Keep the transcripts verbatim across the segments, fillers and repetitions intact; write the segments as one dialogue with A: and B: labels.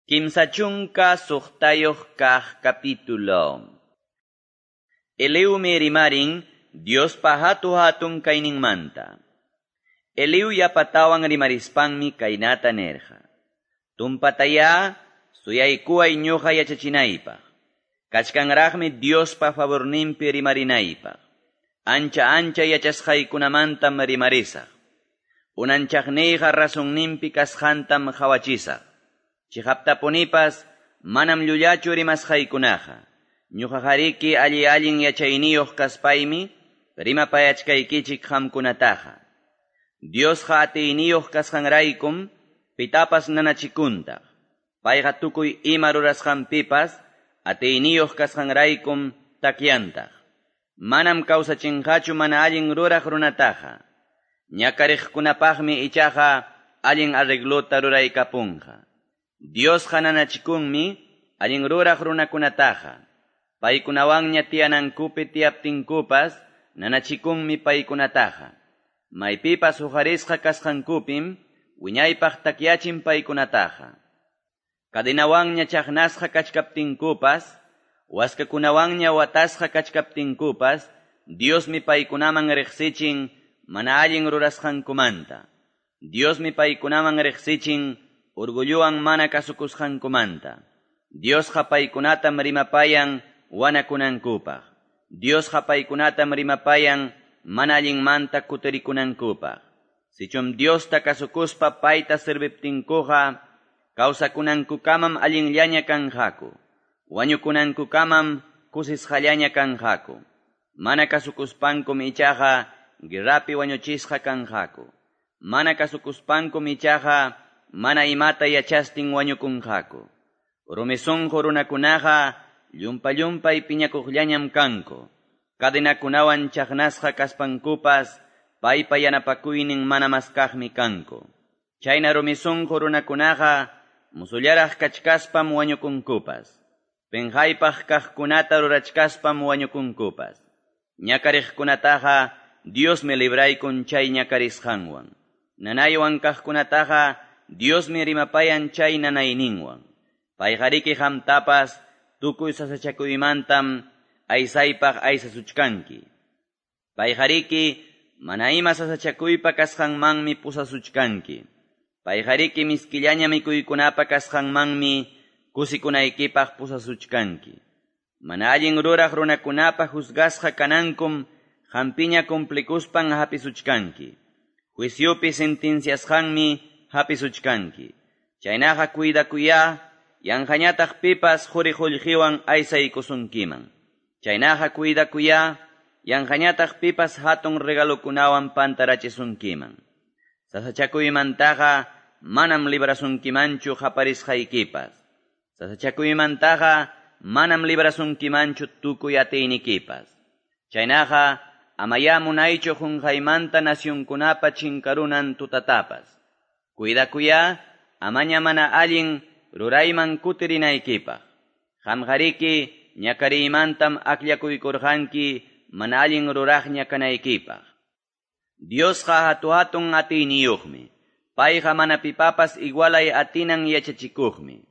A: Kimsa chunka suqtayuq kaq capítulo. Eliumi rimarin Diospa hatu hatun kayninmanta. Eliu yapatawan rimarispanmi kaynata nerqa. Tumpataya suyaykuway ñuqa yachachinaypaq. Kachkanraqmi Diospa favorninpi rimarinaypaq. Ancha ancha yachasqaykunamantam rimarisaq. Unanchaqniyqa razonninpi kasqantam qhawachisaq. Chiqaptapunipas manam llullachu rimasqaykunaqa. Ñuqaqariki alli allin yachayniyuq kaspaymi rimapayachkaykichik qamkunataqa. Diosqa atiyniyuq kasqanraykum pitapas nanachikuntaq. Payqa tukuy ima rurasqanpipas atiyniyuq kasqanraykum takyantaq. Manam kawsachinqachu mana allin ruraq runataqa. Ñakariqkunapaqmi ichaqa allin arreglota ruraykapunqa. Diosqa nanachikunmi allin ruraq runakunataqa. Paykunawanña tiyanankupi tiyaptinkupas nanachikunmi paykunataqa. Maypipas huqarisqa kasqankupim wiñaypaq takyachin paykunataqa. Cadenawanña chaqnasqa kachkaptinkupas, waskakunawanña watasqa kachkaptinkupas, Diosmi paykunaman riqsichin mana allin rurasqankumanta. Diosmi paykunaman riqsichin orgulluwan mana kasukusqankumanta. Diosqa paykunatam rimapayan wanakunankupaq. Diosqa paykunatam rimapayan mana allinmanta kutirikunankupaq. Sichum Diosta kasukuspa payta serviptinkuqa, kawsakunankukamam allinllaña kanqaku. Wañukunankukamam kusisqallaña kanqaku. Mana kasukuspankum ichaqa guerrapi wañuchisqa kanqaku. Mana kasukuspankum ichaqa mana imata yachastin wañukunqaku. Rumi sunqu runakunaqa llumpa-llumpay piñakuqllañam kanku. Cadenakunawan chaqnasqa kaspankupas paypa yanapakuynin mana maskaqmi kanku. Chayna rumi sunqu runakunaqa musullaraq kachkaspam wañukunkupas. Penqaypaq kaqkunata rurachkaspam wañukunkupas. Ñakariqkunataqa Diosmi libraykun chay ñakarisqanwan. Nanaywan kaqkunataqa Diosmi rimapayan chay nanayninwan. Payqariki qamtapas tukuy sasachakuymantam aysaypaq aysasuchkanki. Payqariki mana ima sasachakuypa kasqanmanmi pusasuchkanki. Payqariki miskillaña mikuykunapa kasqanmanmi kusikunaykipaq pusasuchkanki. Mana allin ruraq runakunapa juzgasqa kanankum qampiña cumplikuspan hapisuchkanki. Juiciopi sentenciasqanmi hapisuchkanki. Chaynaqa cuidakuya, yanqañataq pipas quri qullqiwan aysaykusunkiman. Chaynaqa cuidakuya, yanqañataq pipas hatun regalokunawan pantarachisunkiman. Sasachakuymantaqa manam librasunkimanchu qaparisqaykipas. Sasachakuymantaqa manam librasunkimanchu tukuy atiynikipas. Chaynaqa amaya munaychu qunqaymanta nacionkunapa chinkarunan tutatapas. Cuidakuya, amaña mana allin rurayman kutirinaykipaq. Qamqariki ñakariymantam akllakuykurqanki mana allin ruraqña kanaykipaq. Diosqa hatu hatun atiyniyuqmi. Payqa mana pipapas igualay atinan yachachikuqmi.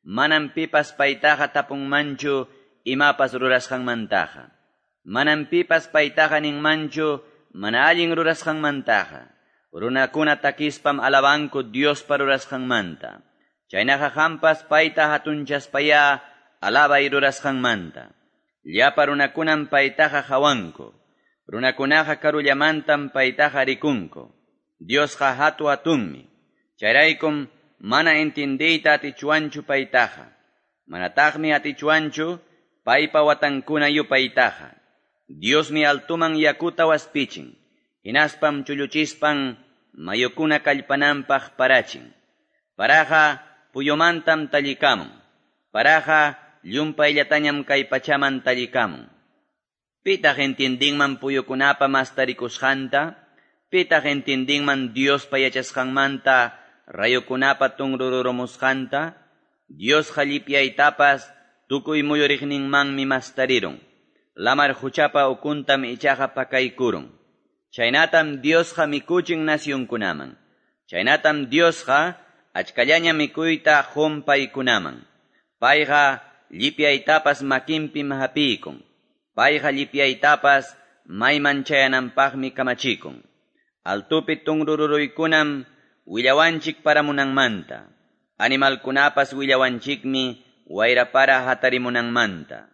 A: Manam pipas paytaqa tapunmanchu imapas rurasqanmantaqa. Manam pipas paytaqa ninmanchu mana allin rurasqanmantaqa. Runakuna takispam alabanku Diospa rurasqanmanta. Chaynaqa qampas payta hatunchaspaya alabay rurasqanmanta. Llapa runakunam paytaqa hawanku. Runakunaqa karullamantam paytaqa rikunku. Diosqa hatu hatunmi. Chayraykum mana entendiyta atichwanchu paytaqa. Manataqmi atichwanchu paypa watankuna yupaytaqa. Diosmi altuman yakuta waspichin. Hinaspam chulluchispan mayukuna kallpananpaq parachin. Paraqa puyumantam tallikamun. Paraqa llumpayllatañam kay pachaman tallikamun. Pitaq entiendinman puyukunapa mastarikusqanta? Pitaq entiendinman Diospa yachasqanmanta rayukunapa tunrururumusqanta? Diosqa llipyaytapas tukuy muyuriqninmanmi mastarirun. Lamar huchapa ukuntam ichaqa pakaykurun. Chaynatam Diosqa mikuchin nacionkunaman. Chaynatam Diosqa Achkallaña mikuyta qon paykunaman. Payqa llipyaytapas makinpim hapiykun. Payqa llipyaytapas mayman chayananpaqmi kamachikun. Altopi tunrururuykunam willawanchik paramunanmanta. Animalkunapas willawanchikmi wayra-para hatarimunanmanta.